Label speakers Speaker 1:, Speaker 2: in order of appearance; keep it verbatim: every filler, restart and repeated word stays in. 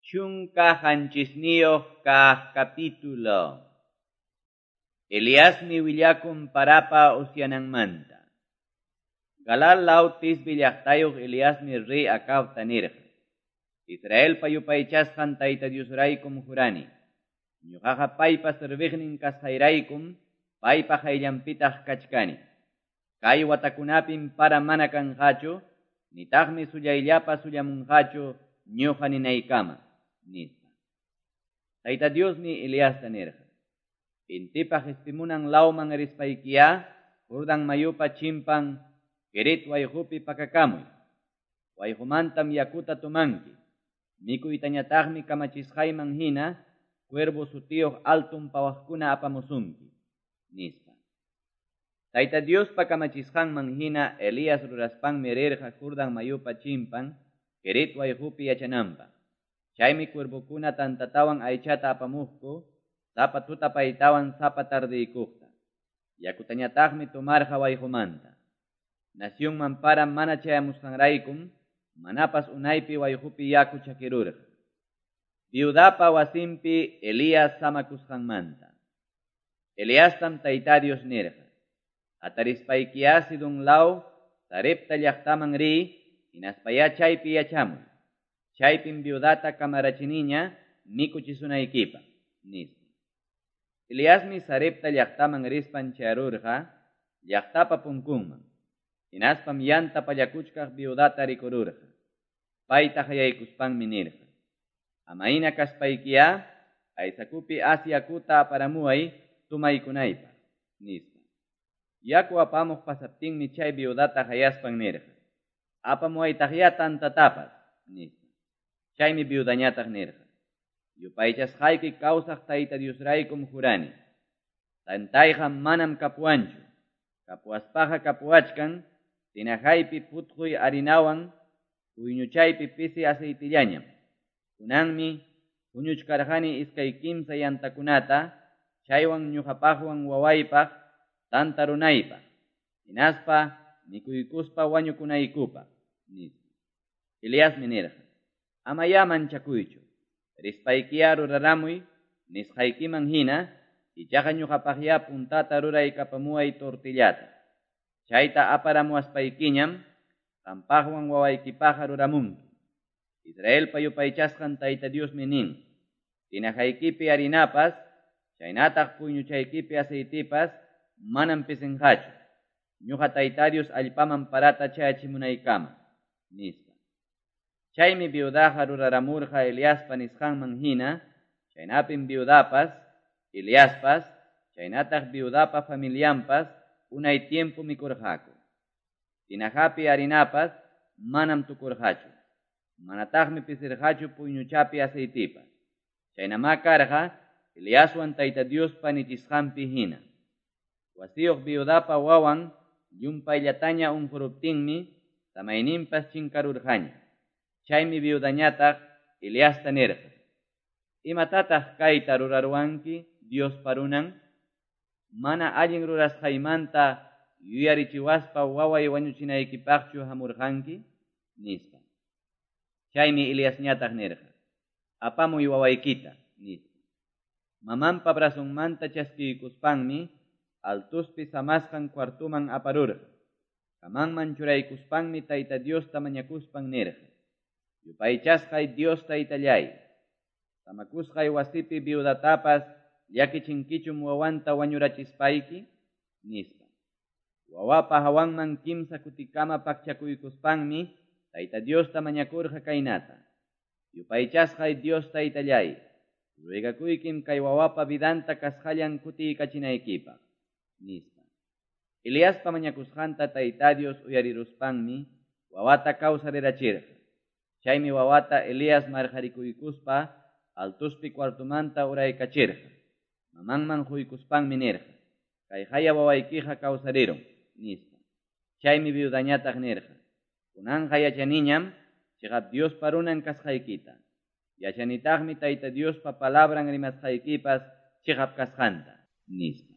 Speaker 1: Chunka qanchisniyuq kaq capítulo. Eliasmi willakun parapa usyananmanta. Galaad law Tisbe llaqtayuq Eliasmi rey Acabta nirqa: Israelpa yupaychasqan Tayta Diosraykum jurani. Ñuqaqa paypa serviqnin kasqayraykum paypa qayllanpitaq kachkani. Kay watakunapim para mana kanqachu, nitaqmi sullayllapa sullamunqachu ñuqa ninaykama, nispa. Tayta Diosmi Eliasta nirqa: Intipa qispimunan lawman rispaykiya, Jordán mayupa chimpan Kerit wayqupi pakakamuy. Wayqumantam yakuta tomanki. Mikuytañataqmi kamachisqayman hina cuervo sutiyuq altun pawaqkuna apamusunki, nispa. Tayta Diospa kamachisqanman hina Elías ruraspanmi rirqa Jordán mayupa chimpan Kerit wayqupi yachananpaq. Chaymi cuervokuna tantatawan aychata apamuqku, sapa tutapaytawan sapa tardiykuqta. Yakutañataqmi tomarqa wayqumanta. Nacionman para mana chayamusqanraykum, manapas unaypi wayqupi yaku chakirurqa. Viudapa wasinpi Elías samakusqanmanta. Eliastam Tayta Dios nirqa: Hatarispaykiya Sidón law Sarepta llaqtaman riy, hinaspayá chaypi yachamuy. Chaypim viudata kamarachiniña mikuchisunaykipaq, nispa. Eliasmi Sarepta llaqtaman rispan chayarurqa llaqtapa punkunman. Hinaspam yanta pallakuchkaq viudata rikururqa. Payta qayaykuspanmi nirqa: Amayna kaspaykiya, aysakupi as yakuta aparamuway tumaykunaypaq, nispa. Yaku apamuq pasaptinmi chay viudata qayaspan nirqa: Apamuwaytaqya tantatapas, nispa. Chaymi viudañataq nirqa: Yupaychasqayki kawsaq Tayta Diosraykum jurani. Tantayqa manam kapuwanchu. Kapuwaspaqa kapuwachkan tinajaypi putquy harinawan puyñuchaypi pisi aceitillañam. Kunanmi huñuchkarqani iskay kimsa yantakunata, chaywan ñuqapaqwan wawaypaq tanta runaypaq, hinaspa mikuykuspa wañukunaykupaq, nispa. Eliasmi nirqa: Amayá manchakuychu, rispaykiya ruraramuy nisqaykiman hina, ichaqa ñuqapaqya puntata ruraykapamuway tortillata. Chayta aparamuwaspaykiñam qampaqwan wawaykipaqqa ruramunki. Israelpa yupaychasqan Tayta Diosmi nin: Tinajaykipi harinapas, chaynataq puyñuchaykipi aceitipas manam pisinqachu, ñuqa Tayta Dios allpaman parata chayachimunaykama, nispa. Chaymi viudaqa ruraramurqa Eliaspa nisqanman hina, chaynapim viudapas, Eliaspas, chaynataq viudapa familianpas unay tiempo mikurqaku. Tinajapi harinapas manam tukurqachu, manataqmi pisirqachu puyñuchapi aceitipas. Chaynamá karqa Eliaswan Tayta Diospa nichisqanpi hina. Wasiyuq viudapa wawan llumpayllataña unquruptinmi samayninpas chinkarurqaña. Chaymi viudañataq Eliasta nirqa: Imatataq kayta ruraruwanki, Diospa runan? Mana allin rurasqaymanta yuyarichiwaspa waway wañuchinaykipaqchu hamurqanki, nispa. Chaymi Eliasñataq nirqa: Apamuy wawaykita, nispa. Mamanpa brazonmanta chaskiykuspanmi altuspi samasqan cuartuman aparurqa. Kamanman churaykuspanmi Tayta Diosta mañakuspan nirqa: Yupaychasqay Dios Taytallay, samakusqay wasipi viudatapas llakichinkichum wawanta wañurachispayki, nispa. Wawapa hawanman kimsa kutikama pakchakuykuspanmi Tayta Diosta mañakurqa kaynata: Yupaychasqay Dios Taytallay, ruegakuykim kay wawapa vidanta kasqallan kutiykachinaykipaq, nispa. Eliaspa mañakusqanta Tayta Dios uyariruspanmi wawata kawsarirachirqa. Chaymi wawata Elías marqarikuykuspa altuspi cuartumanta uraykachirqa. Mamanman huykuspanmi nirqa: Kayqaya wawaykiqa kawsarirun, nispa. Chaymi viudañataq nirqa: Kunanqa yachaniñam chiqap Diospa runan kasqaykita. Yachanitaqmi Tayta Diospa palabran rimasqaykipas chiqap kasqanta, nispa.